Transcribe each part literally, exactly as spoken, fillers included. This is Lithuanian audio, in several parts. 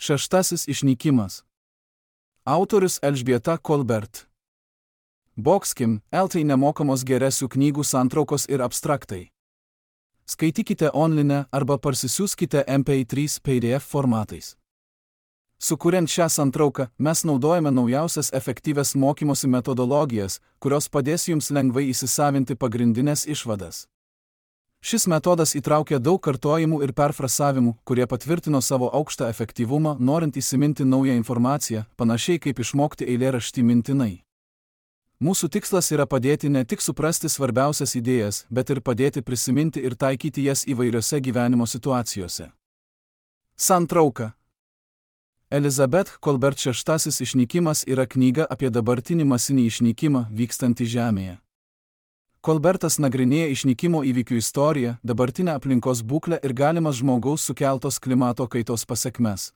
Šeštasis išnykimas. Autorius Elžbieta Kolbert. Boxkim, eltai nemokamos geresių knygų santraukos ir abstraktai. Skaitykite online arba parsisiųskite M P trys P D F formatais. Sukuriant šią santrauką, mes naudojame naujausias efektyvias mokymosi metodologijas, kurios padės jums lengvai įsisavinti pagrindinės išvadas. Šis metodas įtraukia daug kartojimų ir perfrasavimų, kurie patvirtino savo aukštą efektyvumą, norint įsiminti naują informaciją, panašiai kaip išmokti eilėraštį mintinai. Mūsų tikslas yra padėti ne tik suprasti svarbiausias idėjas, bet ir padėti prisiminti ir taikyti jas įvairiose gyvenimo situacijose. Santrauka. Elizabeth Kolbert Šeštasis išnykimas yra knyga apie dabartinį masinį išnykimą vykstantį Žemėje. Kolbertas nagrinėja išnykimo įvykių istoriją, dabartinę aplinkos būklę ir galimas žmogaus sukeltos klimato kaitos pasekmes.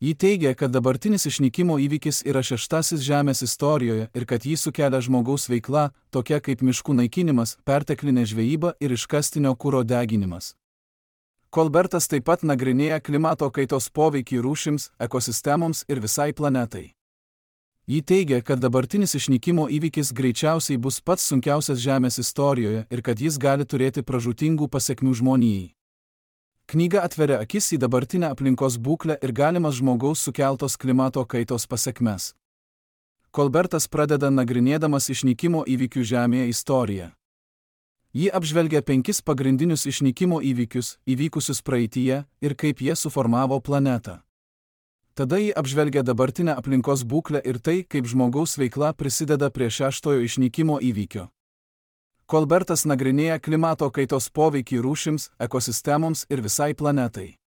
Ji teigia, kad dabartinis išnykimo įvykis yra šeštasis Žemės istorijoje ir kad jį sukelia žmogaus veikla, tokia kaip miškų naikinimas, perteklinė žvejyba ir iškastinio kuro deginimas. Kolbertas taip pat nagrinėja klimato kaitos poveikį rūšims, ekosistemoms ir visai planetai. Ji teigia, kad dabartinis išnykimo įvykis greičiausiai bus pats sunkiausias Žemės istorijoje ir kad jis gali turėti pražūtingų pasekmių žmonijai. Knyga atveria akis į dabartinę aplinkos būklę ir galimas žmogaus sukeltos klimato kaitos pasekmes. Kolbertas pradeda nagrinėdamas išnykimo įvykių Žemėje istoriją. Ji apžvelgia penkis pagrindinius išnykimo įvykius, įvykusius praeityje, ir kaip jie suformavo planetą. Tada ji apžvelgia dabartinę aplinkos būklę ir tai, kaip žmogaus veikla prisideda prie šeštojo išnykimo įvykio. Kolbertas nagrinėja klimato kaitos poveikį rūšims, ekosistemoms ir visai planetai.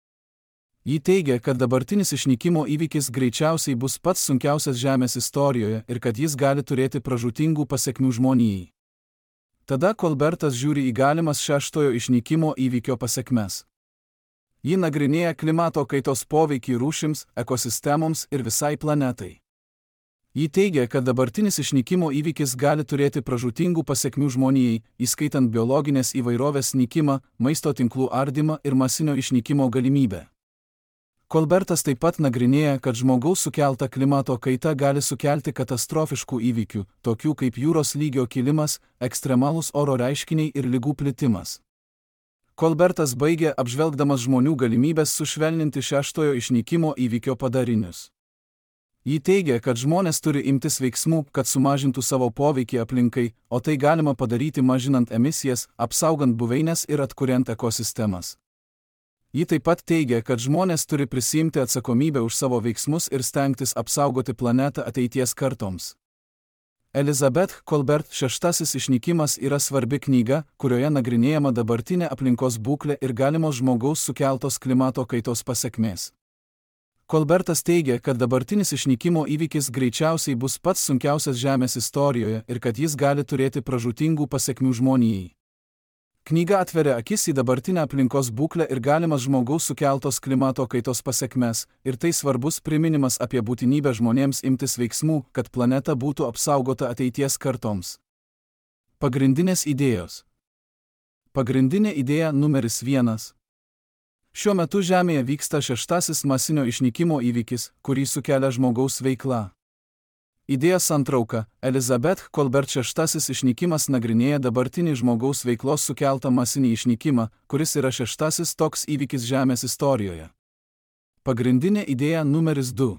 Ji teigia, kad dabartinis išnykimo įvykis greičiausiai bus pats sunkiausias Žemės istorijoje ir kad jis gali turėti pražūtingų pasekmių žmonijai. Tada Kolbertas žiūri į galimas šeštojo išnykimo įvykio pasekmes. Ji nagrinėja klimato kaitos poveikį rūšims, ekosistemoms ir visai planetai. Ji teigia, kad dabartinis išnykimo įvykis gali turėti pražūtingų pasekmių žmonijai, įskaitant biologinės įvairovės nykimą, maisto tinklų ardymą ir masinio išnykimo galimybę. Kolbertas taip pat nagrinėja, kad žmogaus sukelta klimato kaita gali sukelti katastrofiškų įvykių, tokių kaip jūros lygio kilimas, ekstremalūs oro reiškiniai ir ligų plitimas. Kolbertas baigia apžvelgdamas žmonių galimybės sušvelninti šeštojo išnykimo įvykio padarinius. Ji teigia, kad žmonės turi imtis veiksmų, kad sumažintų savo poveikį aplinkai, o tai galima padaryti mažinant emisijas, apsaugant buveines ir atkuriant ekosistemas. Ji taip pat teigia, kad žmonės turi prisiimti atsakomybę už savo veiksmus ir stengtis apsaugoti planetą ateities kartoms. Elizabeth Kolbert Šeštasis išnykimas yra svarbi knyga, kurioje nagrinėjama dabartinė aplinkos būklė ir galimos žmogaus sukeltos klimato kaitos pasekmės. Kolbertas teigia, kad dabartinis išnykimo įvykis greičiausiai bus pats sunkiausias Žemės istorijoje ir kad jis gali turėti pražūtingų pasekmių žmonijai. Knyga atveria akis į dabartinę aplinkos būklę ir galimas žmogaus sukeltos klimato kaitos pasekmes, ir tai svarbus priminimas apie būtinybę žmonėms imtis veiksmų, kad planeta būtų apsaugota ateities kartoms. Pagrindinės idėjos. Pagrindinė idėja numeris vienas. Šiuo metu Žemėje vyksta šeštasis masinio išnykimo įvykis, kurį sukelia žmogaus veikla. Idėja santrauka. Elizabeth Kolbert Šeštasis išnykimas nagrinėja dabartinį žmogaus veiklos sukeltą masinį išnykimą, kuris yra šeštasis toks įvykis Žemės istorijoje. Pagrindinė idėja numeris du.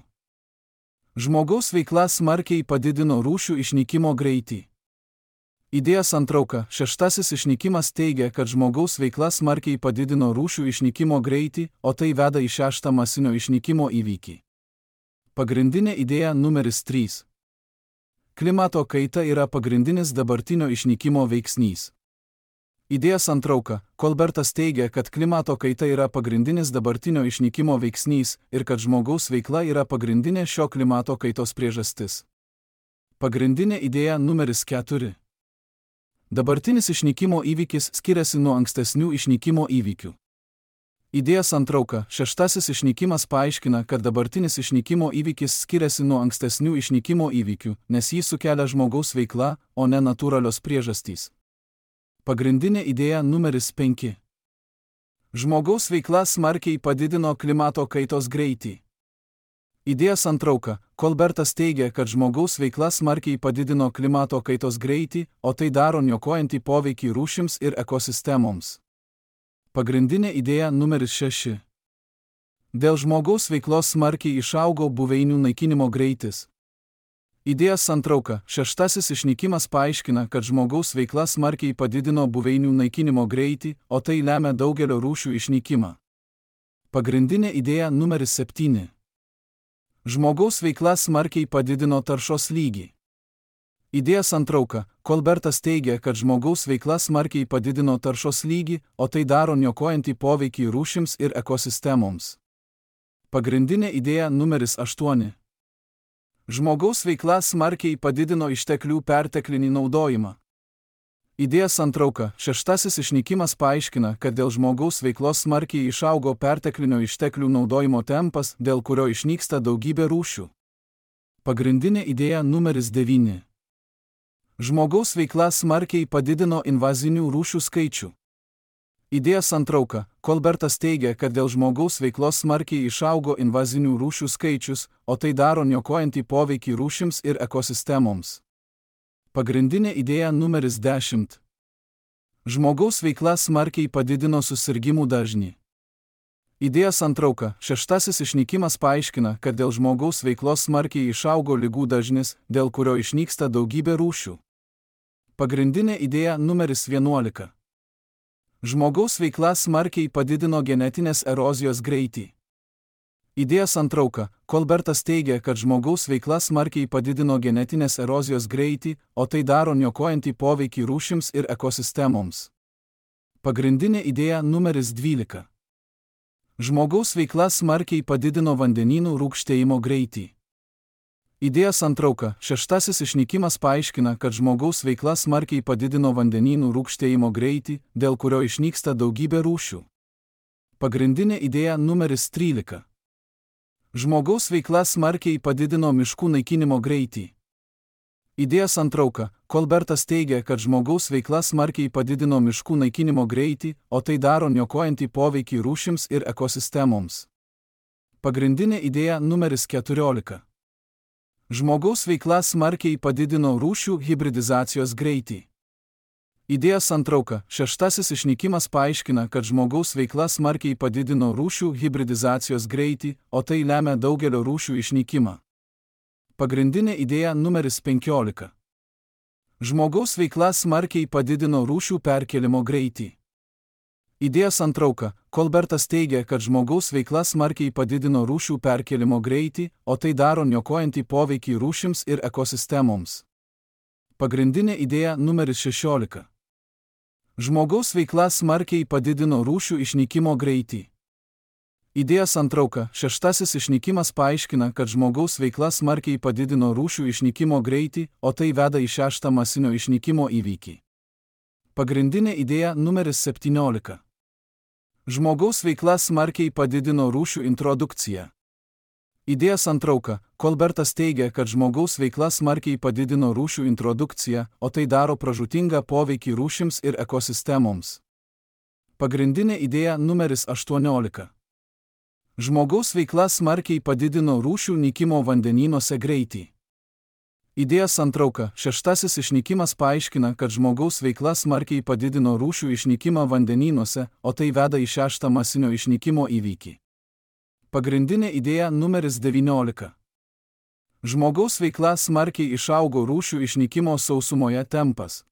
Žmogaus veikla smarkiai padidino rūšių išnykimo greitį. Idėja santrauka. Šeštasis išnykimas teigia, kad žmogaus veikla smarkiai padidino rūšių išnykimo greitį, o tai veda į šeštą masinio išnykimo įvykį. Pagrindinė idėja numeris trys. Klimato kaita yra pagrindinis dabartinio išnykimo veiksnys. Idėja santrauka. Kolbertas teigia, kad klimato kaita yra pagrindinis dabartinio išnykimo veiksnys ir kad žmogaus veikla yra pagrindinė šio klimato kaitos priežastis. Pagrindinė idėja numeris keturi. Dabartinis išnykimo įvykis skiriasi nuo ankstesnių išnykimo įvykių. Idėja santrauka. Šeštasis išnykimas paaiškina, kad dabartinis išnykimo įvykis skiriasi nuo ankstesnių išnykimo įvykių, nes jį sukelia žmogaus veikla, o ne natūralios priežastys. Pagrindinė idėja numeris penki. Žmogaus veikla smarkiai padidino klimato kaitos greitį. Idėja santrauka. Kolbertas teigia, kad žmogaus veikla smarkiai padidino klimato kaitos greitį, o tai daro niokojantį poveikį rūšims ir ekosistemoms. Pagrindinė idėja numeris šeši. Dėl žmogaus veiklos smarkiai išaugo buveinių naikinimo greitis. Idėja santrauka. Šeštasis išnykimas paaiškina, kad žmogaus veikla smarkiai padidino buveinių naikinimo greitį, o tai lemia daugelio rūšių išnykimą. Pagrindinė idėja numeris septyni. Žmogaus veikla smarkiai padidino taršos lygį. Idėja santrauka. Kolbertas teigia, kad žmogaus veikla smarkiai padidino taršos lygį, o tai daro niokojantį poveikį rūšims ir ekosistemoms. Pagrindinė idėja numeris aštuoni. Žmogaus veikla smarkiai padidino išteklių perteklinį naudojimą. Idėja santrauka. Šeštasis išnykimas paaiškina, kad dėl žmogaus veiklos smarkiai išaugo perteklinio išteklių naudojimo tempas, dėl kurio išnyksta daugybė rūšių. Pagrindinė idėja numeris devyni. Žmogaus veikla smarkiai padidino invazinių rūšių skaičių. Idėja santrauka. Kolbertas teigia, kad dėl žmogaus veiklos smarkiai išaugo invazinių rūšių skaičius, o tai daro niokojantį poveikį rūšims ir ekosistemoms. Pagrindinė idėja numeris dešimt. Žmogaus veikla smarkiai padidino susirgimų dažnį. Idėja santrauka. Šeštasis išnykimas paaiškina, kad dėl žmogaus veiklos smarkiai išaugo ligų dažnis, dėl kurio išnyksta daugybė rūšių. Pagrindinė idėja numeris vienuolika. Žmogaus veikla smarkiai padidino genetinės erozijos greitį. Idėja santrauka. Kolbertas teigia, kad žmogaus veikla smarkiai padidino genetinės erozijos greitį, o tai daro niokojantį poveikį rūšims ir ekosistemoms. Pagrindinė idėja numeris dvylika. Žmogaus veikla smarkiai padidino vandenynų rūgštėjimo greitį. Idėja santrauka. Šeštasis išnykimas paaiškina, kad žmogaus veikla smarkiai padidino vandenynų rūgštėjimo greitį, dėl kurio išnyksta daugybė rūšių. Pagrindinė idėja numeris trylika. Žmogaus veikla smarkiai padidino miškų naikinimo greitį. Idėja santrauka. Kolbertas teigia, kad žmogaus veikla smarkiai padidino miškų naikinimo greitį, o tai daro niokojantį poveikį rūšims ir ekosistemoms. Pagrindinė idėja numeris keturiolika. Žmogaus veikla smarkiai padidino rūšių hibridizacijos greitį. Idėja santrauka. Šeštasis išnykimas paaiškina, kad žmogaus veikla smarkiai padidino rūšių hibridizacijos greitį, o tai lemia daugelio rūšių išnykimą. Pagrindinė idėja numeris penkiolika. Žmogaus veikla smarkiai padidino rūšių perkėlimo greitį. Idėja santrauka. Kolbertas teigia, kad žmogaus veikla smarkiai padidino rūšių perkėlimo greitį, o tai daro niokojantį poveikį rūšims ir ekosistemoms. Pagrindinė idėja numeris šešiolika. Žmogaus veikla smarkiai padidino rūšių išnykimo greitį. Idėja santrauka. Šeštasis išnykimas paaiškina, kad žmogaus veikla smarkiai padidino rūšių išnykimo greitį, o tai veda į šeštą masinio išnykimo įvykį. Pagrindinė idėja numeris septyniolika. Žmogaus veikla smarkiai padidino rūšių introdukciją. Idėja santrauka. Kolbertas teigia, kad žmogaus veikla smarkiai padidino rūšių introdukciją, o tai daro pražūtingą poveikį rūšims ir ekosistemoms. Pagrindinė idėja numeris aštuoniolika. Žmogaus veikla smarkiai padidino rūšių nykimo vandenynuose greitį. Idėja santrauka. Šeštasis išnykimas paaiškina, kad žmogaus veikla smarkiai padidino rūšių išnykimą vandenynuose, o tai veda į šeštą masinio išnykimo įvykį. Pagrindinė idėja numeris devyniolika. Žmogaus veikla smarkiai išaugo rūšių išnykimo sausumoje tempas.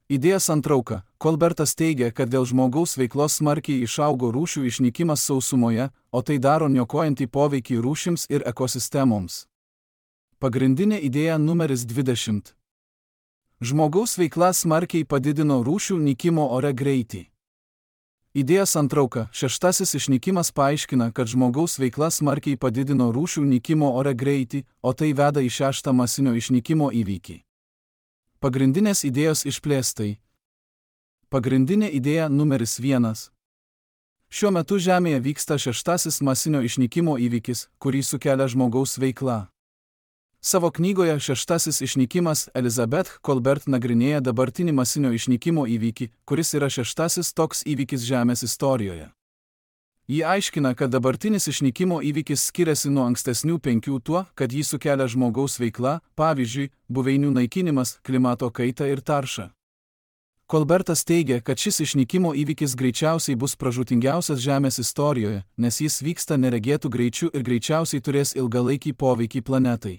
Idėja santrauka. Kolbertas teigia, kad dėl žmogaus veiklos smarkiai išaugo rūšių išnykimas sausumoje, o tai daro niokojantį poveikį rūšims ir ekosistemoms. Pagrindinė idėja numeris dvidešimt. Žmogaus veikla smarkiai padidino rūšių nykimo ore greitį. Idėja santrauka. Šeštasis išnykimas paaiškina, kad žmogaus veikla smarkiai padidino rūšių nykimo ore greitį, o tai veda į šeštą masinio išnykimo įvykį. Pagrindinės idėjos išplėstai. Pagrindinė idėja numeris vienas. Šiuo metu Žemėje vyksta šeštasis masinio išnykimo įvykis, kurį sukelia žmogaus veikla. Savo knygoje Šeštasis išnykimas Elizabeth Kolbert nagrinėja dabartinį masinio išnykimo įvykį, kuris yra šeštasis toks įvykis Žemės istorijoje. Ji aiškina, kad dabartinis išnykimo įvykis skiriasi nuo ankstesnių penkių tuo, kad jį sukelia žmogaus veikla, pavyzdžiui, buveinių naikinimas, klimato kaita ir tarša. Kolbertas teigia, kad šis išnykimo įvykis greičiausiai bus pražūtingiausias Žemės istorijoje, nes jis vyksta neregėtų greičiu ir greičiausiai turės ilgalaikį poveikį planetai.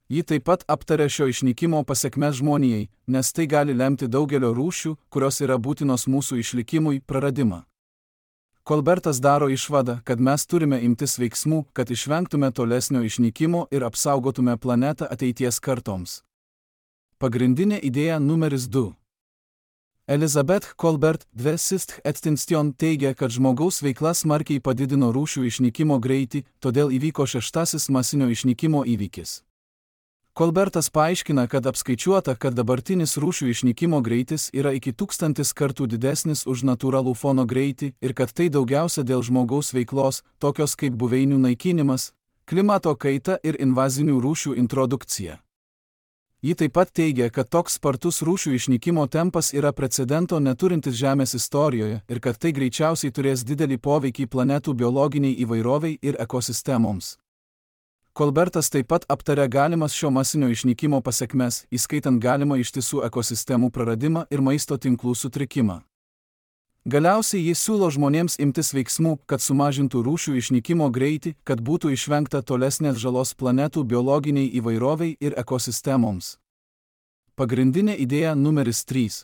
Ji taip pat aptarė šio išnykimo pasekmes žmonijai, nes tai gali lemti daugelio rūšių, kurios yra būtinos mūsų išlikimui, praradimą. Kolbertas daro išvadą, kad mes turime imtis veiksmų, kad išvengtume tolesnio išnykimo ir apsaugotume planetą ateities kartoms. Pagrindinė idėja numeris du. Elizabeth Kolbert dve Sist Extinction teigia, kad žmogaus veikla smarkiai padidino rūšių išnykimo greitį, todėl įvyko šeštasis masinio išnykimo įvykis. Kolbertas paaiškina, kad apskaičiuota, kad dabartinis rūšių išnykimo greitis yra iki tūkstantis kartų didesnis už natūralų fono greitį ir kad tai daugiausia dėl žmogaus veiklos, tokios kaip buveinių naikinimas, klimato kaita ir invazinių rūšių introdukcija. Ji taip pat teigia, kad toks spartus rūšių išnykimo tempas yra precedento neturintis Žemės istorijoje ir kad tai greičiausiai turės didelį poveikį planetų biologiniai įvairoviai ir ekosistemoms. Kolbertas taip pat aptarė galimas šio masinio išnykimo pasekmes, įskaitant galimą ištisų ekosistemų praradimą ir maisto tinklų sutrikimą. Galiausiai jis siūlo žmonėms imtis veiksmų, kad sumažintų rūšių išnykimo greitį, kad būtų išvengta tolesnės žalos planetų biologiniai įvairoviai ir ekosistemoms. Pagrindinė idėja numeris trys.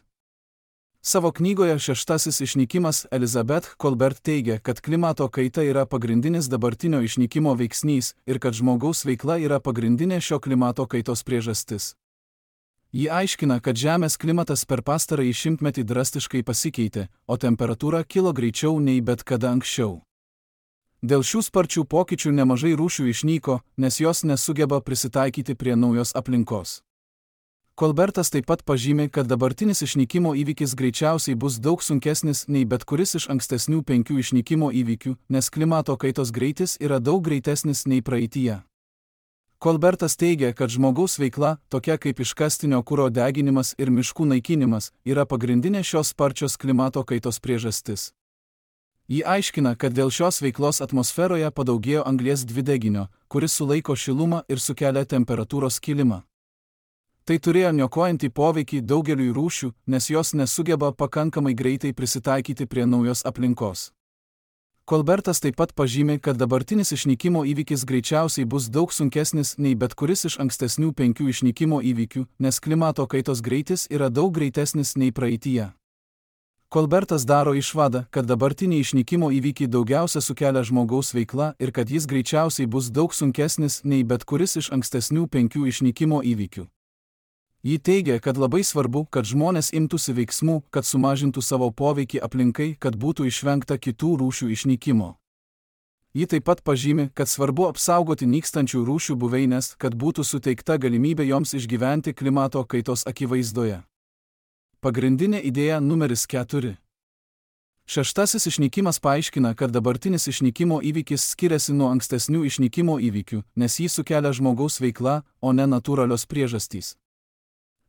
Savo knygoje Šeštasis išnykimas Elizabeth Kolbert teigia, kad klimato kaita yra pagrindinis dabartinio išnykimo veiksnys ir kad žmogaus veikla yra pagrindinė šio klimato kaitos priežastis. Ji aiškina, kad Žemės klimatas per pastarąjį šimtmetį drastiškai pasikeitė, o temperatūra kilo greičiau nei bet kada anksčiau. Dėl šių sparčių pokyčių nemažai rūšių išnyko, nes jos nesugeba prisitaikyti prie naujos aplinkos. Kolbertas taip pat pažymi, kad dabartinis išnykimo įvykis greičiausiai bus daug sunkesnis nei bet kuris iš ankstesnių penkių išnykimo įvykių, nes klimato kaitos greitis yra daug greitesnis nei praeityje. Kolbertas teigia, kad žmogaus veikla, tokia kaip iškastinio kuro deginimas ir miškų naikinimas, yra pagrindinė šios sparčios klimato kaitos priežastis. Ji aiškina, kad dėl šios veiklos atmosferoje padaugėjo anglies dvideginio, kuris sulaiko šilumą ir sukelia temperatūros kilimą. Tai turėjo niokojantį poveikį daugeliui rūšių, nes jos nesugeba pakankamai greitai prisitaikyti prie naujos aplinkos. Kolbertas taip pat pažymi, kad dabartinis išnykimo įvykis greičiausiai bus daug sunkesnis nei bet kuris iš ankstesnių penkių išnykimo įvykių, nes klimato kaitos greitis yra daug greitesnis nei praeityje. Kolbertas daro išvadą, kad dabartiniai išnykimo įvykiai daugiausia sukelia žmogaus veikla ir kad jis greičiausiai bus daug sunkesnis nei bet kuris iš ankstesnių penkių išnykimo įvykių. Ji teigia, kad labai svarbu, kad žmonės imtųsi veiksmų, kad sumažintų savo poveikį aplinkai, kad būtų išvengta kitų rūšių išnykimo. Ji taip pat pažymi, kad svarbu apsaugoti nykstančių rūšių buveinės, kad būtų suteikta galimybė joms išgyventi klimato kaitos akivaizdoje. Pagrindinė idėja numeris keturi. Šeštasis išnykimas paaiškina, kad dabartinis išnykimo įvykis skiriasi nuo ankstesnių išnykimo įvykių, nes jį sukelia žmogaus veikla, o ne natūralios priežastys.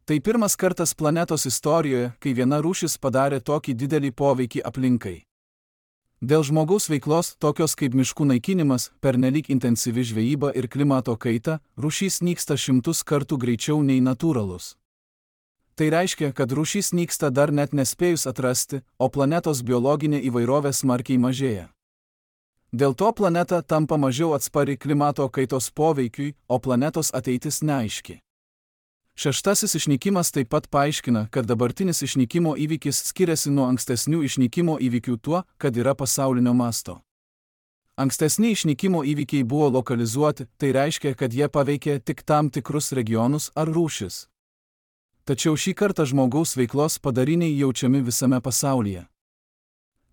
Tai pirmas kartas planetos istorijoje, kai viena rūšis padarė tokį didelį poveikį aplinkai. Dėl žmogaus veiklos, tokios kaip miškų naikinimas, pernelyg intensyvi žvejyba ir klimato kaita, rūšys nyksta šimtus kartų greičiau nei natūralus. Tai reiškia, kad rūšys nyksta dar net nespėjus atrasti, o planetos biologinė įvairovė smarkiai mažėja. Dėl to planeta tampa mažiau atspari klimato kaitos poveikiui, o planetos ateitis neaiški. Šeštasis išnykimas taip pat paaiškina, kad dabartinis išnykimo įvykis skiriasi nuo ankstesnių išnykimo įvykių tuo, kad yra pasaulinio masto. Ankstesni išnykimo įvykiai buvo lokalizuoti, tai reiškia, kad jie paveikė tik tam tikrus regionus ar rūšis. Tačiau šį kartą žmogaus veiklos padariniai jaučiami visame pasaulyje.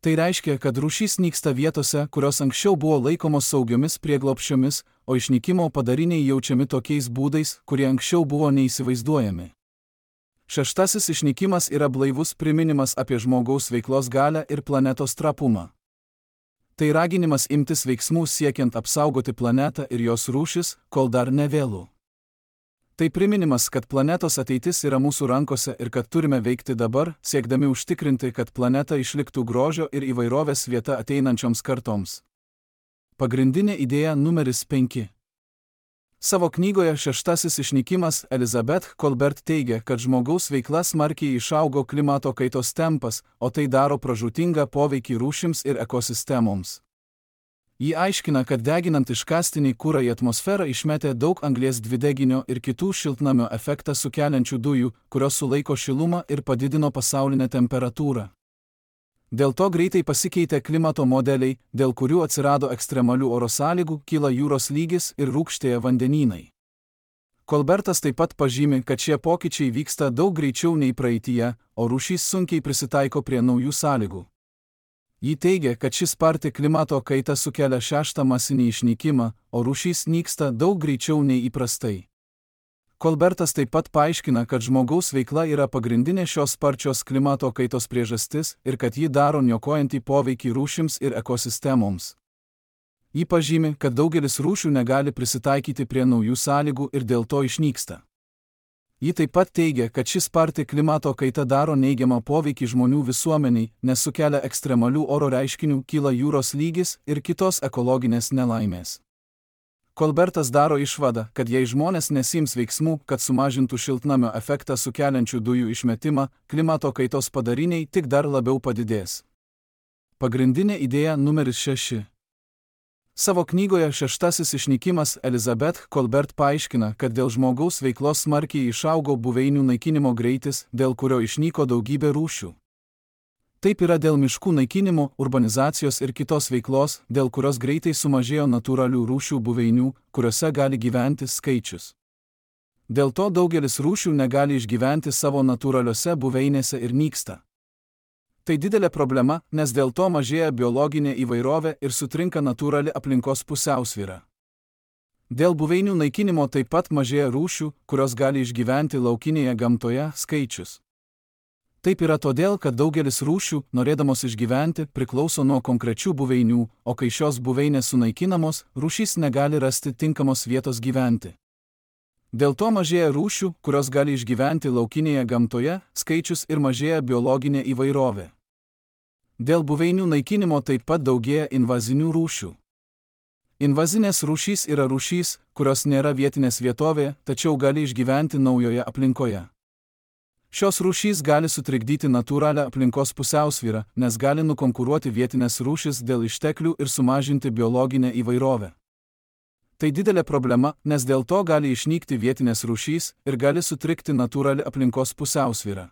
Tai reiškia, kad rūšys nyksta vietose, kurios anksčiau buvo laikomos saugiomis prieglobsčiomis, o išnykimo padariniai jaučiami tokiais būdais, kurie anksčiau buvo neįsivaizduojami. Šeštasis išnykimas yra blaivus priminimas apie žmogaus veiklos galią ir planetos trapumą. Tai raginimas imtis veiksmų siekiant apsaugoti planetą ir jos rūšis, kol dar nevėlu. Tai priminimas, kad planetos ateitis yra mūsų rankose ir kad turime veikti dabar, siekdami užtikrinti, kad planeta išliktų grožio ir įvairovės vieta ateinančioms kartoms. Pagrindinė idėja numeris penki. Savo knygoje Šeštasis išnykimas Elizabeth Kolbert teigia, kad žmogaus veikla smarkiai išaugo klimato kaitos tempas, o tai daro pražūtingą poveikį rūšims ir ekosistemoms. Ji aiškina, kad deginant iškastinį kurą į atmosferą išmetė daug anglies dvideginio ir kitų šiltnamio efektą sukeliančių dujų, kurios sulaiko šilumą ir padidino pasaulinę temperatūrą. Dėl to greitai pasikeitė klimato modeliai, dėl kurių atsirado ekstremalių oro sąlygų, kyla jūros lygis ir rūgštėja vandenynai. Kolbertas taip pat pažymi, kad šie pokyčiai vyksta daug greičiau nei praeityje, o rūšys sunkiai prisitaiko prie naujų sąlygų. Ji teigia, kad ši sparti klimato kaita sukelia šeštą masinį išnykimą, o rūšys nyksta daug greičiau nei įprastai. Kolbertas taip pat paaiškina, kad žmogaus veikla yra pagrindinė šios sparčios klimato kaitos priežastis ir kad ji daro niokojantį poveikį rūšims ir ekosistemoms. Ji pažymi, kad daugelis rūšių negali prisitaikyti prie naujų sąlygų ir dėl to išnyksta. Ji taip pat teigia, kad ši sparti klimato kaita daro neigiamą poveikį žmonių visuomeniai, nes sukelia ekstremalių oro reiškinių, kyla jūros lygis ir kitos ekologinės nelaimės. Kolbertas daro išvadą, kad jei žmonės nesiims veiksmų, kad sumažintų šiltnamio efektą sukeliančių dujų išmetimą, klimato kaitos padariniai tik dar labiau padidės. Pagrindinė idėja numeris šeši. Savo knygoje Šeštasis išnykimas Elizabeth Kolbert paaiškina, kad dėl žmogaus veiklos smarkiai išaugo buveinių naikinimo greitis, dėl kurio išnyko daugybė rūšių. Taip yra dėl miškų naikinimo, urbanizacijos ir kitos veiklos, dėl kurios greitai sumažėjo natūralių rūšių buveinių, kuriuose gali gyventi skaičius. Dėl to daugelis rūšių negali išgyventi savo natūraliuose buveinėse ir nyksta. Tai didelė problema, nes dėl to mažėja biologinė įvairovė ir sutrinka natūrali aplinkos pusiausvyra. Dėl buveinių naikinimo taip pat mažėja rūšių, kurios gali išgyventi laukinėje gamtoje, skaičius. Taip yra todėl, kad daugelis rūšių, norėdamos išgyventi, priklauso nuo konkrečių buveinių, o kai šios buveinės sunaikinamos, rūšys negali rasti tinkamos vietos gyventi. Dėl to mažėja rūšių, kurios gali išgyventi laukinėje gamtoje, skaičius ir mažėja biologinė įvairovė. Dėl buveinių naikinimo taip pat daugėja invazinių rūšių. Invazinės rūšys yra rūšys, kurios nėra vietinės vietovėje, tačiau gali išgyventi naujoje aplinkoje. Šios rūšys gali sutrikdyti natūralią aplinkos pusiausvyrą, nes gali nukonkuruoti vietinės rūšis dėl išteklių ir sumažinti biologinę įvairovę. Tai didelė problema, nes dėl to gali išnykti vietinės rūšys ir gali sutrikti natūrali aplinkos pusiausvyra.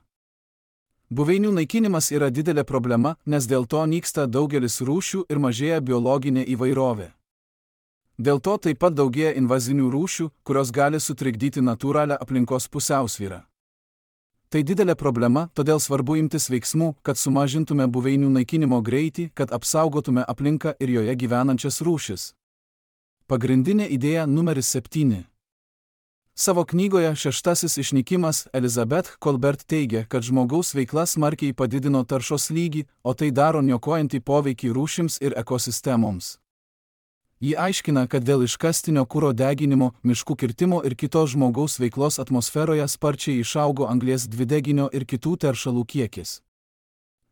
Buveinių naikinimas yra didelė problema, nes dėl to nyksta daugelis rūšių ir mažėja biologinė įvairovė. Dėl to taip pat daugėja invazinių rūšių, kurios gali sutrikdyti natūralią aplinkos pusiausvyrą. Tai didelė problema, todėl svarbu imtis veiksmų, kad sumažintume buveinių naikinimo greitį, kad apsaugotume aplinką ir joje gyvenančias rūšis. Pagrindinė idėja numeris septyni. Savo knygoje Šeštasis išnykimas Elizabeth Kolbert teigia, kad žmogaus veikla smarkiai padidino taršos lygį, o tai daro niokojantį poveikį rūšims ir ekosistemoms. Ji aiškina, kad dėl iškastinio kuro deginimo, miškų kirtimo ir kitos žmogaus veiklos atmosferoje sparčiai išaugo anglies dvideginio ir kitų teršalų kiekis.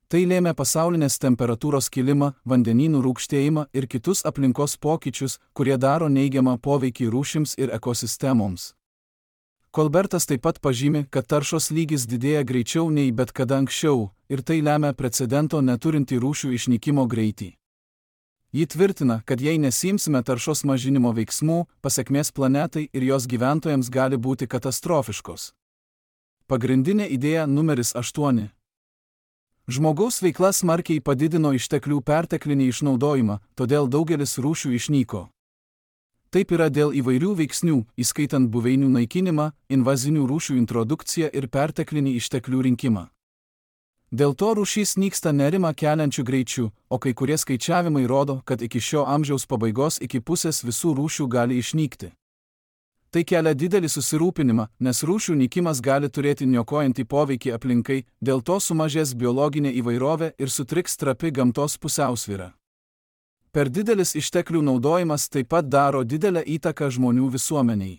Tai lėmė pasaulinės temperatūros kilimą, vandenynų rūgštėjimą ir kitus aplinkos pokyčius, kurie daro neigiamą poveikį rūšims ir ekosistemoms. Kolbertas taip pat pažymi, kad taršos lygis didėja greičiau nei bet kada anksčiau, ir tai lemia precedento neturintį rūšių išnykimo greitį. Ji tvirtina, kad jei nesimsime taršos mažinimo veiksmų, pasekmės planetai ir jos gyventojams gali būti katastrofiškos. Pagrindinė idėja numeris aštuoni. Žmogaus veikla smarkiai padidino išteklių perteklinį išnaudojimą, todėl daugelis rūšių išnyko. Taip yra dėl įvairių veiksnių, įskaitant buveinių naikinimą, invazinių rūšių introdukciją ir perteklinį išteklių rinkimą. Dėl to rūšys nyksta nerimą keliančių greičių, o kai kurie skaičiavimai rodo, kad iki šio amžiaus pabaigos iki pusės visų rūšių gali išnykti. Tai kelia didelį susirūpinimą, nes rūšių nykimas gali turėti niokojantį poveikį aplinkai, dėl to sumažės biologinė įvairovė ir sutriks trapi gamtos pusiausvyra. Per didelis išteklių naudojimas taip pat daro didelę įtaką žmonių visuomeniai.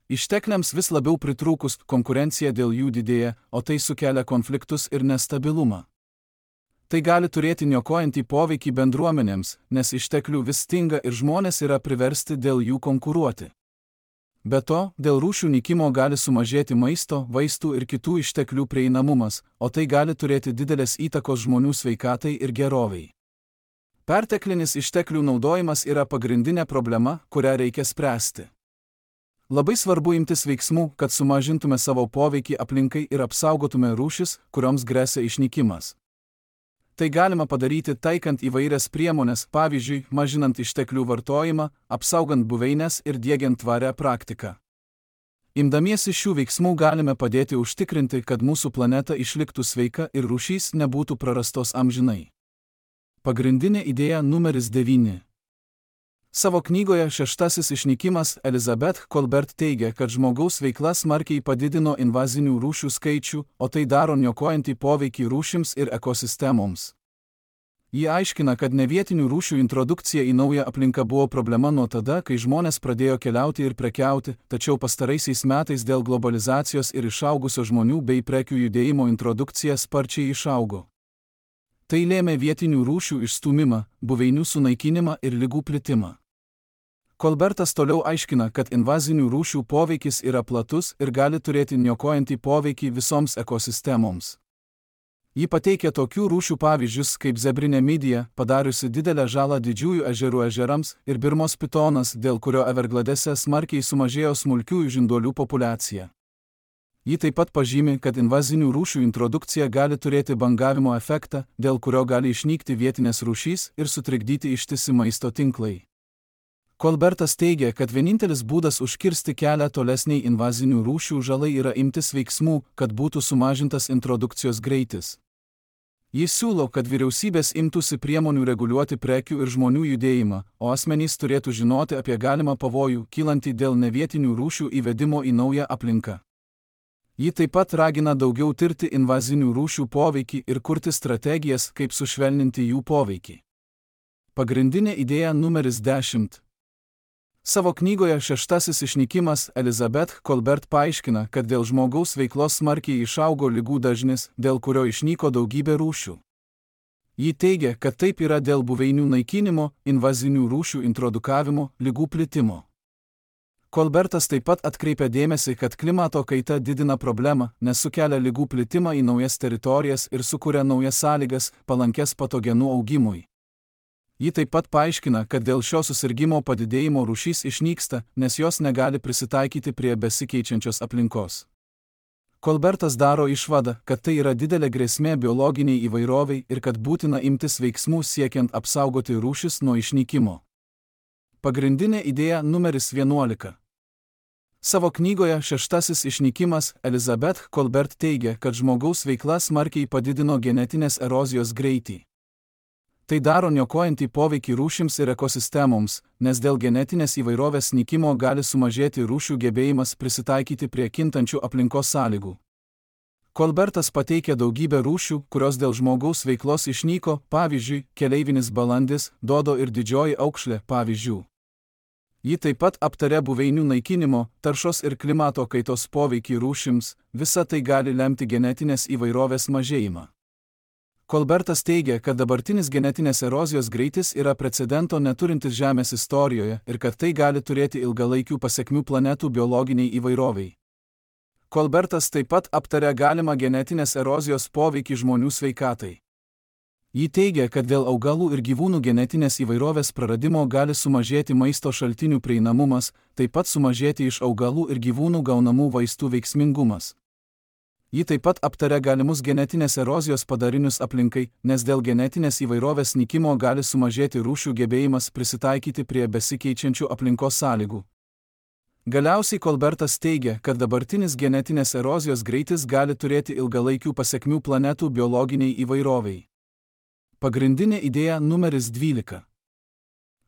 Ištekliams vis labiau pritrūkus, konkurencija dėl jų didėja, o tai sukelia konfliktus ir nestabilumą. Tai gali turėti niokojantį poveikį bendruomenėms, nes išteklių vis stinga ir žmonės yra priversti dėl jų konkuruoti. Be to, dėl rūšių nykimo gali sumažėti maisto, vaistų ir kitų išteklių prieinamumas, o tai gali turėti didelės įtakos žmonių sveikatai ir gerovei. Perteklinis išteklių naudojimas yra pagrindinė problema, kurią reikia spręsti. Labai svarbu imtis veiksmų, kad sumažintume savo poveikį aplinkai ir apsaugotume rūšis, kurioms gresia išnykimas. Tai galima padaryti taikant įvairias priemones, pavyzdžiui, mažinant išteklių vartojimą, apsaugant buveines ir diegiant tvarią praktiką. Imdamiesi šių veiksmų galime padėti užtikrinti, kad mūsų planeta išliktų sveika ir rūšys nebūtų prarastos amžinai. Pagrindinė idėja numeris devyni. Savo knygoje Šeštasis išnykimas Elizabeth Kolbert teigia, kad žmogaus veikla smarkiai padidino invazinių rūšių skaičių, o tai daro niokojantį poveikį rūšims ir ekosistemoms. Ji aiškina, kad nevietinių rūšių introdukcija į naują aplinką buvo problema nuo tada, kai žmonės pradėjo keliauti ir prekiauti, tačiau pastaraisiais metais dėl globalizacijos ir išaugusio žmonių bei prekių judėjimo introdukcija sparčiai išaugo. Tai lėmė vietinių rūšių išstūmimą, buveinių sunaikinimą ir ligų plitimą. Kolbertas toliau aiškina, kad invazinių rūšių poveikis yra platus ir gali turėti niokojantį poveikį visoms ekosistemoms. Ji pateikia tokių rūšių pavyzdžius kaip zebrinė midija, padariusi didelę žalą didžiųjų ežerų ežerams, ir Birmos pitonas, dėl kurio Evergladese smarkiai sumažėjo smulkiųjų žinduolių populiacija. Ji taip pat pažymi, kad invazinių rūšių introdukcija gali turėti bangavimo efektą, dėl kurio gali išnykti vietinės rūšys ir sutrikdyti ištisi maisto tinklai. Kolbertas teigia, kad vienintelis būdas užkirsti kelią tolesniai invazinių rūšių žalai yra imtis veiksmų, kad būtų sumažintas introdukcijos greitis. Jis siūlo, kad vyriausybės imtųsi priemonių reguliuoti prekių ir žmonių judėjimą, o asmenys turėtų žinoti apie galimą pavojų, kylantį dėl nevietinių rūšių įvedimo į naują aplinką. Ji taip pat ragina daugiau tirti invazinių rūšių poveikį ir kurti strategijas, kaip sušvelninti jų poveikį. Pagrindinė idėja numeris dešimt. Savo knygoje Šeštasis išnykimas Elizabeth Kolbert paaiškina, kad dėl žmogaus veiklos smarkiai išaugo ligų dažnis, dėl kurio išnyko daugybė rūšių. Ji teigia, kad taip yra dėl buveinių naikinimo, invazinių rūšių introdukavimo, ligų plitimo. Kolbertas taip pat atkreipia dėmesį, kad klimato kaita didina problemą, nes sukelia ligų plitimą į naujas teritorijas ir sukuria naujas sąlygas, palankes patogenų augimui. Ji taip pat paaiškina, kad dėl šio susirgimo padidėjimo rūšys išnyksta, nes jos negali prisitaikyti prie besikeičiančios aplinkos. Kolbertas daro išvadą, kad tai yra didelė grėsmė biologiniai įvairoviai ir kad būtina imtis veiksmų siekiant apsaugoti rūšis nuo išnykimo. Pagrindinė idėja numeris vienuolika. Savo knygoje Šeštasis išnykimas Elizabeth Kolbert teigia, kad žmogaus veikla smarkiai padidino genetinės erozijos greitį. Tai daro niokojantį poveikį rūšims ir ekosistemoms, nes dėl genetinės įvairovės nykimo gali sumažėti rūšių gebėjimas prisitaikyti prie kintančių aplinkos sąlygų. Kolbertas pateikia daugybę rūšių, kurios dėl žmogaus veiklos išnyko, pavyzdžiui, keleivinis balandis, dodo ir didžioji aukšlė, pavyzdžių. Ji taip pat aptaria buveinių naikinimo, taršos ir klimato kaitos poveikį rūšims, visa tai gali lemti genetinės įvairovės mažėjimą. Kolbertas teigia, kad dabartinis genetinės erozijos greitis yra precedento neturintis Žemės istorijoje ir kad tai gali turėti ilgalaikių pasekmių planetų biologiniai įvairoviai. Kolbertas taip pat aptaria galimą genetinės erozijos poveikį žmonių sveikatai. Ji teigia, kad dėl augalų ir gyvūnų genetinės įvairovės praradimo gali sumažėti maisto šaltinių prieinamumas, taip pat sumažėti iš augalų ir gyvūnų gaunamų vaistų veiksmingumas. Ji taip pat aptaria galimus genetinės erozijos padarinius aplinkai, nes dėl genetinės įvairovės nykimo gali sumažėti rūšių gebėjimas prisitaikyti prie besikeičiančių aplinkos sąlygų. Galiausiai Kolbertas teigia, kad dabartinis genetinės erozijos greitis gali turėti ilgalaikių pasekmių planetų biologiniai įvairoviai. Pagrindinė idėja numeris dvylika.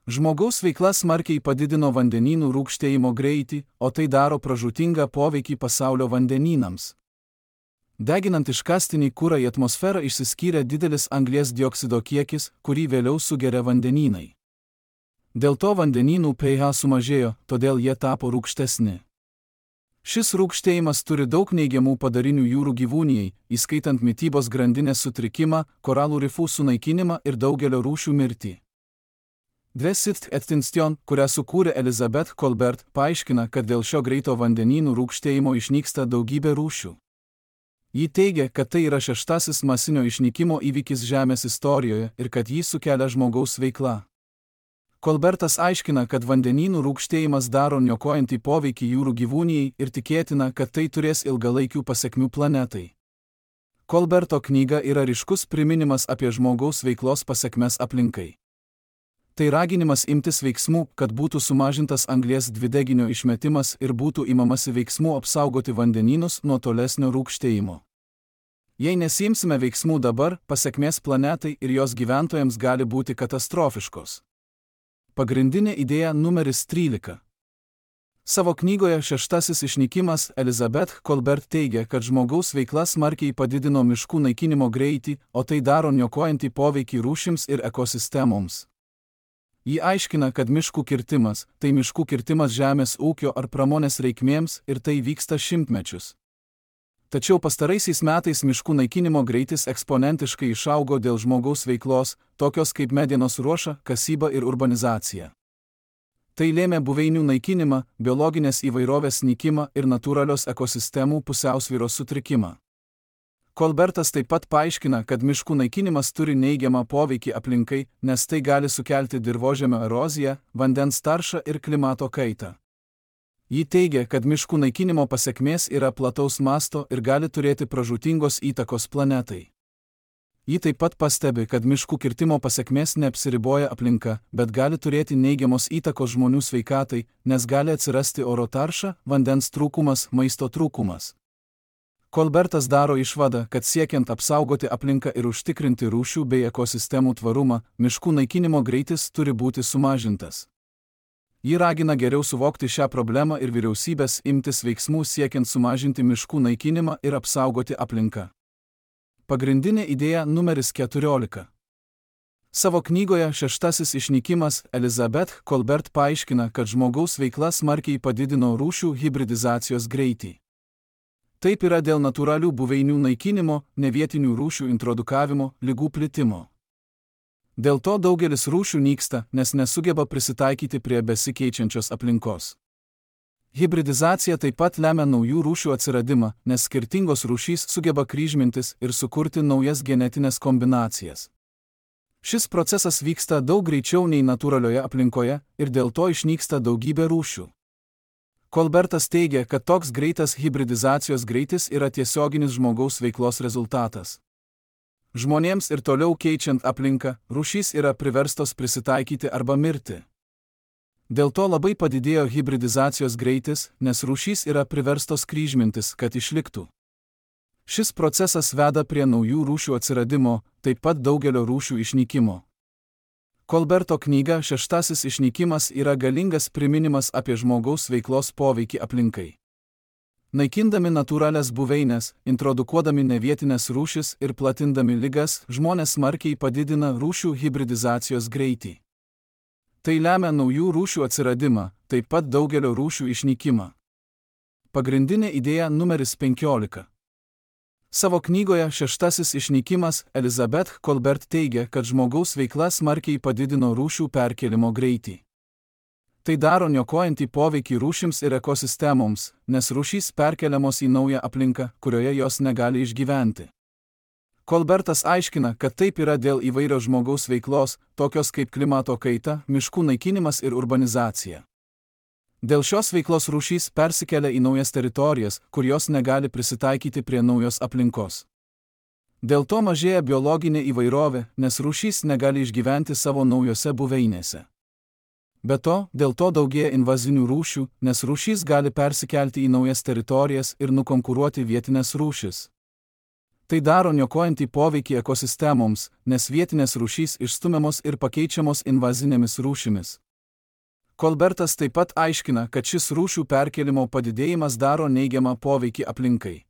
Žmogaus veikla smarkiai padidino vandenynų rūgštėjimo greitį, o tai daro pražūtingą poveikį pasaulio vandenynams. Deginant iškastinį kurą į atmosferą išsiskyrė didelis anglies dioksido kiekis, kurį vėliau sugeria vandenynai. Dėl to vandenynų pH sumažėjo, todėl jie tapo rūgštesni. Šis rūgštėjimas turi daug neigiamų padarinių jūrų gyvūnijai, įskaitant mitybos grandinės sutrikimą, koralų rifų sunaikinimą ir daugelio rūšių mirtį. Dvesit Extinction, kurią sukūrė Elizabeth Kolbert, paaiškina, kad dėl šio greito vandenynų rūgštėjimo išnyksta daugybė rūšių. Ji teigia, kad tai yra šeštasis masinio išnykimo įvykis Žemės istorijoje ir kad jį sukelia žmogaus veikla. Kolbertas aiškina, kad vandenynų rūgštėjimas daro niokojantį poveikį jūrų gyvūnijai ir tikėtina, kad tai turės ilgalaikių pasekmių planetai. Kolberto knyga yra ryškus priminimas apie žmogaus veiklos pasekmes aplinkai. Tai raginimas imtis veiksmų, kad būtų sumažintas anglies dvideginio išmetimas ir būtų imamasi veiksmų apsaugoti vandenynus nuo tolesnio rūgštėjimo. Jei nesimsime veiksmų dabar, pasekmės planetai ir jos gyventojams gali būti katastrofiškos. Pagrindinė idėja numeris trylika. Savo knygoje Šeštasis išnykimas Elizabeth Kolbert teigia, kad žmogaus veikla smarkiai padidino miškų naikinimo greitį, o tai daro niokojantį poveikį rūšims ir ekosistemoms. Ji aiškina, kad miškų kirtimas – tai miškų kirtimas žemės ūkio ar pramonės reikmėms ir tai vyksta šimtmečius. Tačiau pastaraisiais metais miškų naikinimo greitis eksponentiškai išaugo dėl žmogaus veiklos, tokios kaip medienos ruoša, kasyba ir urbanizacija. Tai lėmė buveinių naikinimą, biologinės įvairovės nykimą ir natūralios ekosistemų pusiausvyros sutrikimą. Kolbertas taip pat paaiškina, kad miškų naikinimas turi neigiamą poveikį aplinkai, nes tai gali sukelti dirvožemio eroziją, vandens taršą ir klimato kaitą. Ji teigia, kad miškų naikinimo pasekmės yra plataus masto ir gali turėti pražūtingos įtakos planetai. Ji taip pat pastebi, kad miškų kirtimo pasekmės neapsiriboja aplinka, bet gali turėti neigiamos įtakos žmonių sveikatai, nes gali atsirasti oro tarša, vandens trūkumas, maisto trūkumas. Kolbertas daro išvadą, kad siekiant apsaugoti aplinką ir užtikrinti rūšių bei ekosistemų tvarumą, miškų naikinimo greitis turi būti sumažintas. Ji ragina geriau suvokti šią problemą ir vyriausybės imtis veiksmų siekiant sumažinti miškų naikinimą ir apsaugoti aplinką. Pagrindinė idėja numeris keturiolika. Savo knygoje Šeštasis išnykimas Elizabeth Kolbert paaiškina, kad žmogaus veikla smarkiai padidino rūšių hibridizacijos greitį. Taip yra dėl natūralių buveinių naikinimo, nevietinių rūšių introdukavimo, ligų plitimo. Dėl to daugelis rūšių nyksta, nes nesugeba prisitaikyti prie besikeičiančios aplinkos. Hibridizacija taip pat lemia naujų rūšių atsiradimą, nes skirtingos rūšys sugeba kryžmintis ir sukurti naujas genetinės kombinacijas. Šis procesas vyksta daug greičiau nei natūralioje aplinkoje ir dėl to išnyksta daugybė rūšių. Kolbertas teigia, kad toks greitas hibridizacijos greitis yra tiesioginis žmogaus veiklos rezultatas. Žmonėms ir toliau keičiant aplinką, rūšys yra priverstos prisitaikyti arba mirti. Dėl to labai padidėjo hibridizacijos greitis, nes rūšys yra priverstos kryžmintis, kad išliktų. Šis procesas veda prie naujų rūšių atsiradimo, taip pat daugelio rūšių išnykimo. Kolberto knyga Šeštasis išnykimas yra galingas priminimas apie žmogaus veiklos poveikį aplinkai. Naikindami natūralias buveinės, introdukuodami nevietinės rūšis ir platindami ligas, žmonės smarkiai padidina rūšių hibridizacijos greitį. Tai lemia naujų rūšių atsiradimą, taip pat daugelio rūšių išnykimą. Pagrindinė idėja numeris penkiolika. Savo knygoje Šeštasis išnykimas Elizabeth Kolbert teigia, kad žmogaus veikla smarkiai padidino rūšių perkėlimo greitį. Tai daro niokojantį poveikį rūšims ir ekosistemoms, nes rūšys perkeliamos į naują aplinką, kurioje jos negali išgyventi. Kolbertas aiškina, kad taip yra dėl įvairios žmogaus veiklos, tokios kaip klimato kaita, miškų naikinimas ir urbanizacija. Dėl šios veiklos rūšys persikelia į naujas teritorijas, kur jos negali prisitaikyti prie naujos aplinkos. Dėl to mažėja biologinė įvairovė, nes rūšys negali išgyventi savo naujose buveinėse. Be to, dėl to daugėja invazinių rūšių, nes rūšys gali persikelti į naujas teritorijas ir nukonkuruoti vietinės rūšis. Tai daro niokojantį poveikį ekosistemoms, nes vietinės rūšys išstumiamos ir pakeičiamos invazinėmis rūšimis. Kolbertas taip pat aiškina, kad šis rūšių perkelimo padidėjimas daro neigiamą poveikį aplinkai.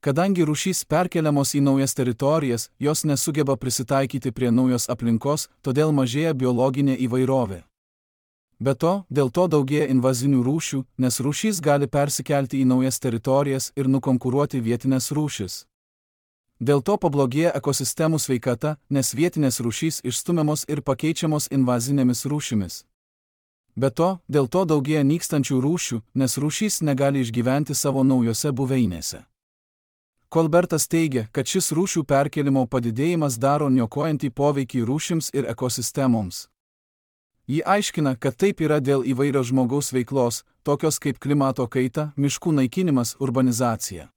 Kadangi rūšys perkeliamos į naujas teritorijas, jos nesugeba prisitaikyti prie naujos aplinkos, todėl mažėja biologinė įvairovė. Be to, dėl to daugėja invazinių rūšių, nes rūšys gali persikelti į naujas teritorijas ir nukonkuruoti vietinės rūšis. Dėl to pablogėja ekosistemų sveikata, nes vietinės rūšys išstumiamos ir pakeičiamos invazinėmis rūšimis. Be to, dėl to daugėja nykstančių rūšių, nes rūšys negali išgyventi savo naujose buveinėse. Kolbertas teigia, kad šis rūšių perkelimo padidėjimas daro niokojantį poveikį rūšims ir ekosistemoms. Ji aiškina, kad taip yra dėl įvairios žmogaus veiklos, tokios kaip klimato kaita, miškų naikinimas, urbanizacija.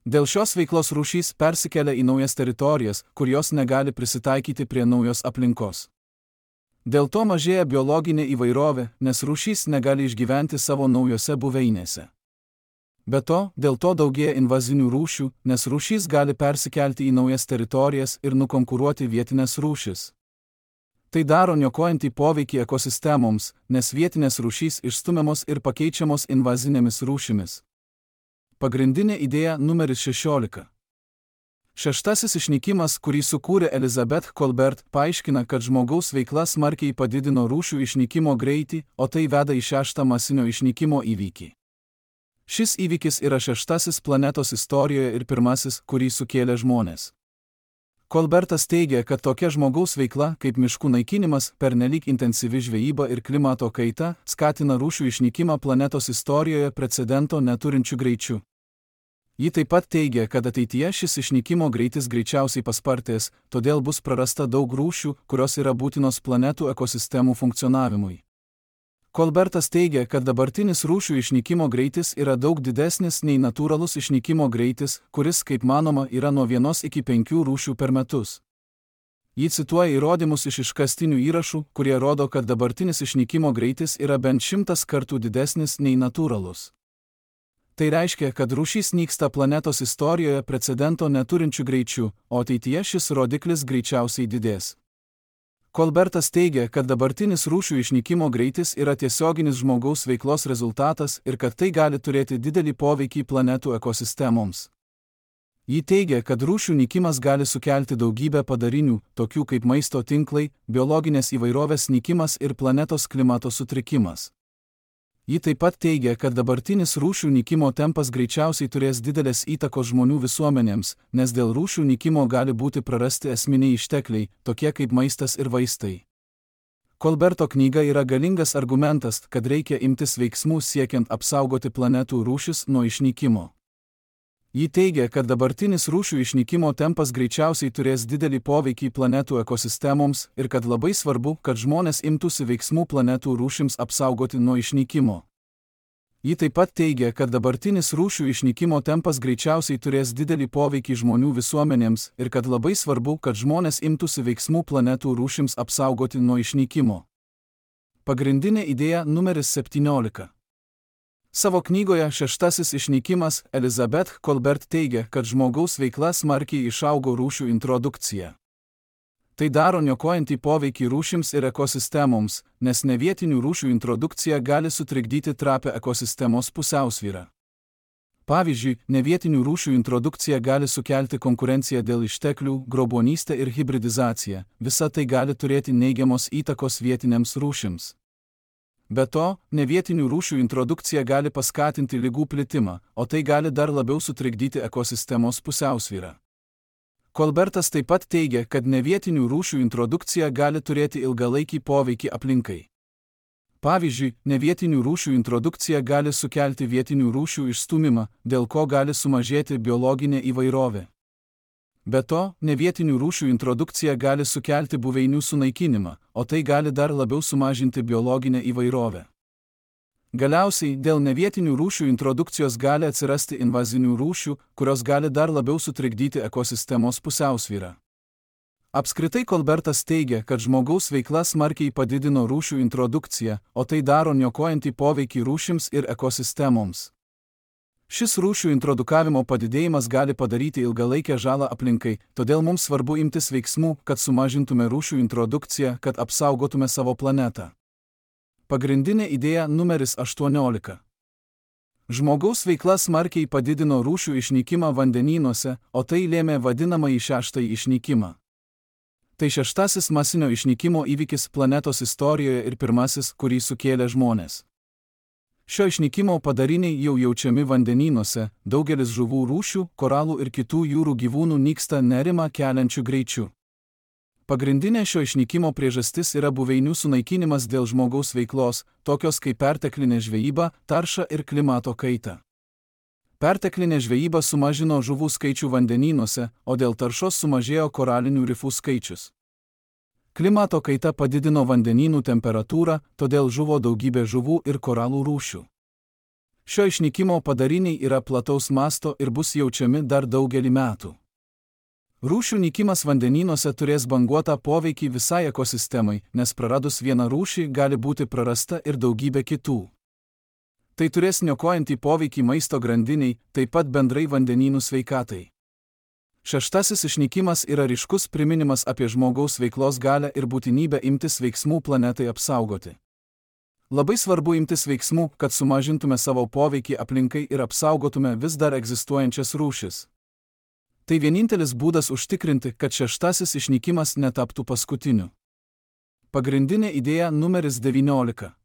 Dėl šios veiklos rūšys persikelia į naujas teritorijas, kur jos negali prisitaikyti prie naujos aplinkos. Dėl to mažėja biologinė įvairovė, nes rūšys negali išgyventi savo naujose buveinėse. Be to, dėl to daugėja invazinių rūšių, nes rūšys gali persikelti į naujas teritorijas ir nukonkuruoti vietinės rūšis. Tai daro niokojantį poveikį ekosistemoms, nes vietinės rūšys išstumiamos ir pakeičiamos invazinėmis rūšimis. Pagrindinė idėja numeris šešiolika. Šeštasis išnykimas, kurį sukūrė Elizabeth Kolbert, paaiškina, kad žmogaus veikla smarkiai padidino rūšių išnykimo greitį, o tai veda į šeštą masinio išnykimo įvykį. Šis įvykis yra šeštasis planetos istorijoje ir pirmasis, kurį sukėlė žmonės. Kolbertas teigia, kad tokia žmogaus veikla, kaip miškų naikinimas, pernelyg intensyvi žvejyba ir klimato kaita, skatina rūšių išnykimą planetos istorijoje precedento neturinčių greičių. Ji taip pat teigia, kad ateityje šis išnykimo greitis greičiausiai paspartės, todėl bus prarasta daug rūšių, kurios yra būtinos planetų ekosistemų funkcionavimui. Kolbertas teigia, kad dabartinis rūšių išnykimo greitis yra daug didesnis nei natūralus išnykimo greitis, kuris, kaip manoma, yra nuo vienos iki penkių rūšių per metus. Ji cituoja įrodymus iš iškastinių įrašų, kurie rodo, kad dabartinis išnykimo greitis yra bent šimtas kartų didesnis nei natūralus. Tai reiškia, kad rūšys nyksta planetos istorijoje precedento neturinčių greičių, o ateityje šis rodiklis greičiausiai didės. Kolbertas teigia, kad dabartinis rūšių išnykimo greitis yra tiesioginis žmogaus veiklos rezultatas ir kad tai gali turėti didelį poveikį planetų ekosistemoms. Ji teigia, kad rūšių nykimas gali sukelti daugybę padarinių, tokių kaip maisto tinklai, biologinės įvairovės nykimas ir planetos klimato sutrikimas. Ji taip pat teigia, kad dabartinis rūšių nykimo tempas greičiausiai turės didelės įtakos žmonių visuomenėms, nes dėl rūšių nykimo gali būti prarasti esminiai ištekliai, tokie kaip maistas ir vaistai. Kolberto knyga yra galingas argumentas, kad reikia imtis veiksmų siekiant apsaugoti planetų rūšis nuo išnykimo. Ji teigia, kad dabartinis rūšių išnykimo tempas greičiausiai turės didelį poveikį planetų ekosistemoms ir kad labai svarbu, kad žmonės imtųsi veiksmų planetų rūšims apsaugoti nuo išnykimo. Ji taip pat teigia, kad dabartinis rūšių išnykimo tempas greičiausiai turės didelį poveikį žmonių visuomenėms ir kad labai svarbu, kad žmonės imtųsi veiksmų planetų rūšims apsaugoti nuo išnykimo. Pagrindinė idėja numeris septyniolika. Savo knygoje Šeštasis išnykimas Elizabeth Kolbert teigia, kad žmogaus veikla smarkiai išaugo rūšių introdukcija. Tai daro niokojantį poveikį rūšims ir ekosistemoms, nes nevietinių rūšių introdukcija gali sutrikdyti trapią ekosistemos pusiausvyrą. Pavyzdžiui, nevietinių rūšių introdukcija gali sukelti konkurenciją dėl išteklių, grobonystę ir hibridizaciją, visa tai gali turėti neigiamos įtakos vietinėms rūšims. Be to, nevietinių rūšių introdukcija gali paskatinti ligų plitimą, o tai gali dar labiau sutrikdyti ekosistemos pusiausvyrą. Kolbertas taip pat teigia, kad nevietinių rūšių introdukcija gali turėti ilgalaikį poveikį aplinkai. Pavyzdžiui, nevietinių rūšių introdukcija gali sukelti vietinių rūšių išstūmimą, dėl ko gali sumažėti biologinė įvairovė. Be to, nevietinių rūšių introdukcija gali sukelti buveinių sunaikinimą, o tai gali dar labiau sumažinti biologinę įvairovę. Galiausiai, dėl nevietinių rūšių introdukcijos gali atsirasti invazinių rūšių, kurios gali dar labiau sutrikdyti ekosistemos pusiausvyrą. Apskritai Kolbertas teigia, kad žmogaus veikla smarkiai padidino rūšių introdukciją, o tai daro niokojantį poveikį rūšims ir ekosistemoms. Šis rūšių introdukavimo padidėjimas gali padaryti ilgalaikę žalą aplinkai, todėl mums svarbu imtis veiksmų, kad sumažintume rūšių introdukciją, kad apsaugotume savo planetą. Pagrindinė idėja numeris aštuoniolika. Žmogaus veikla smarkiai padidino rūšių išnykimą vandenynuose, o tai lėmė vadinamąjį šeštąjį išnykimą. Tai šeštasis masinio išnykimo įvykis planetos istorijoje ir pirmasis, kurį sukėlė žmonės. Šio išnykimo padariniai jau jaučiami vandenynuose, daugelis žuvų rūšių, koralų ir kitų jūrų gyvūnų nyksta nerimą keliančiu greičiu. Pagrindinė šio išnykimo priežastis yra buveinių sunaikinimas dėl žmogaus veiklos, tokios kaip perteklinė žvejyba, tarša ir klimato kaita. Perteklinė žvejyba sumažino žuvų skaičių vandenynuose, o dėl taršos sumažėjo koralinių rifų skaičius. Klimato kaita padidino vandenynų temperatūrą, todėl žuvo daugybė žuvų ir koralų rūšių. Šio išnykimo padariniai yra plataus masto ir bus jaučiami dar daugelį metų. Rūšių nykimas vandenynuose turės banguotą poveikį visai ekosistemai, nes praradus vieną rūšį gali būti prarasta ir daugybė kitų. Tai turės niokojantį poveikį maisto grandiniai, taip pat bendrai vandenynų sveikatai. Šeštasis išnykimas yra ryškus priminimas apie žmogaus veiklos galią ir būtinybę imtis veiksmų planetai apsaugoti. Labai svarbu imtis veiksmų, kad sumažintume savo poveikį aplinkai ir apsaugotume vis dar egzistuojančias rūšis. Tai vienintelis būdas užtikrinti, kad šeštasis išnykimas netaptų paskutiniu. Pagrindinė idėja numeris devyniolika.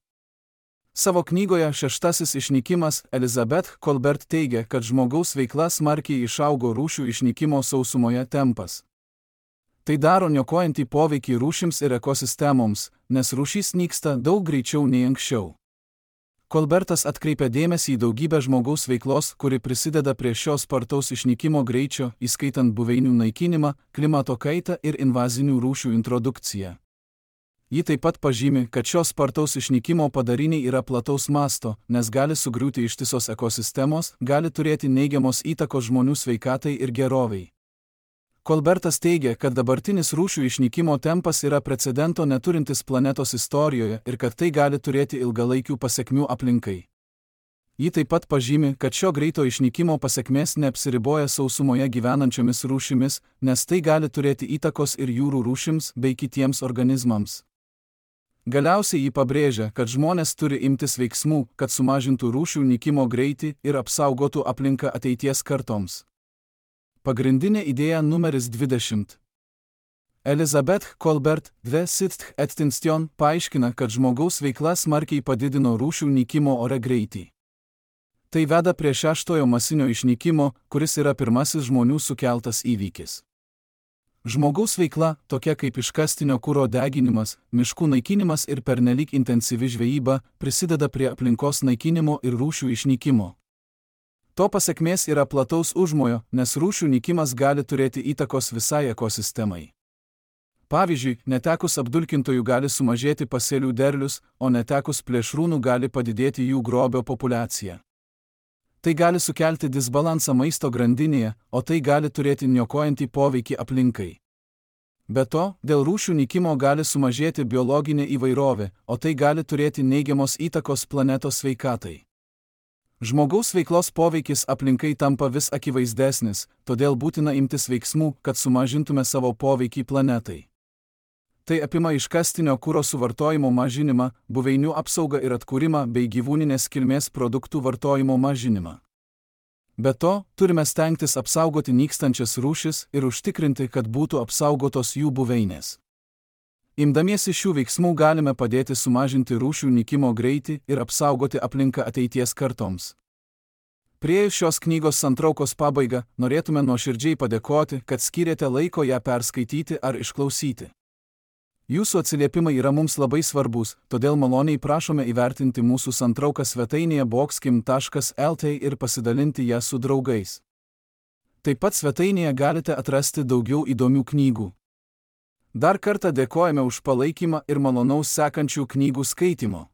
Savo knygoje Šeštasis išnykimas Elizabeth Kolbert teigia, kad žmogaus veikla smarkiai išaugo rūšių išnykimo sausumoje tempas. Tai daro niokojantį poveikį rūšims ir ekosistemoms, nes rūšys nyksta daug greičiau nei anksčiau. Kolbertas atkreipia dėmesį į daugybę žmogaus veiklos, kuri prisideda prie šio spartaus išnykimo greičio, įskaitant buveinių naikinimą, klimato kaitą ir invazinių rūšių introdukciją. Ji taip pat pažymi, kad šios spartaus išnykimo padariniai yra plataus masto, nes gali sugriūti ištisos ekosistemos, gali turėti neigiamos įtakos žmonių sveikatai ir gerovei. Kolbertas teigia, kad dabartinis rūšių išnykimo tempas yra precedento neturintis planetos istorijoje ir kad tai gali turėti ilgalaikių pasekmių aplinkai. Ji taip pat pažymi, kad šio greito išnykimo pasekmės neapsiriboja sausumoje gyvenančiomis rūšimis, nes tai gali turėti įtakos ir jūrų rūšims bei kitiems organizmams. Galiausiai ji pabrėžia, kad žmonės turi imtis veiksmų, kad sumažintų rūšių nykimo greitį ir apsaugotų aplinką ateities kartoms. Pagrindinė idėja numeris dvidešimt. Elizabeth Kolbert, The Sixth Extinction, paaiškina, kad žmogaus veikla smarkiai padidino rūšių nykimo ore greitį. Tai veda prie šeštojo masinio išnykimo, kuris yra pirmasis žmonių sukeltas įvykis. Žmogaus veikla, tokia kaip iškastinio kuro deginimas, miškų naikinimas ir pernelyg intensyvi žvejyba, prisideda prie aplinkos naikinimo ir rūšių išnykimo. To pasekmės yra plataus užmojo, nes rūšių nykimas gali turėti įtakos visai ekosistemai. Pavyzdžiui, netekus apdulkintojų gali sumažėti pasėlių derlius, o netekus plėšrūnų gali padidėti jų grobio populiacija. Tai gali sukelti disbalansą maisto grandinėje, o tai gali turėti niokojantį poveikį aplinkai. Be to, dėl rūšių nykimo gali sumažėti biologinė įvairovė, o tai gali turėti neigiamos įtakos planetos sveikatai. Žmogaus veiklos poveikis aplinkai tampa vis akivaizdesnis, todėl būtina imtis veiksmų, kad sumažintume savo poveikį planetai. Tai apima iškastinio kuro suvartojimo mažinimą, buveinių apsaugą ir atkūrimą bei gyvūninės kilmės produktų vartojimo mažinimą. Be to, turime stengtis apsaugoti nykstančias rūšis ir užtikrinti, kad būtų apsaugotos jų buveinės. Imdamiesi šių veiksmų galime padėti sumažinti rūšių nykimo greitį ir apsaugoti aplinką ateities kartoms. Priėjus šios knygos santraukos pabaigą, norėtume nuoširdžiai padėkoti, kad skyrėte laiko ją perskaityti ar išklausyti. Jūsų atsiliepimai yra mums labai svarbus, todėl maloniai prašome įvertinti mūsų santrauką svetainėje boxkim taškas el tė ir pasidalinti ją su draugais. Taip pat svetainėje galite atrasti daugiau įdomių knygų. Dar kartą dėkojame už palaikymą ir malonaus sekančių knygų skaitimo.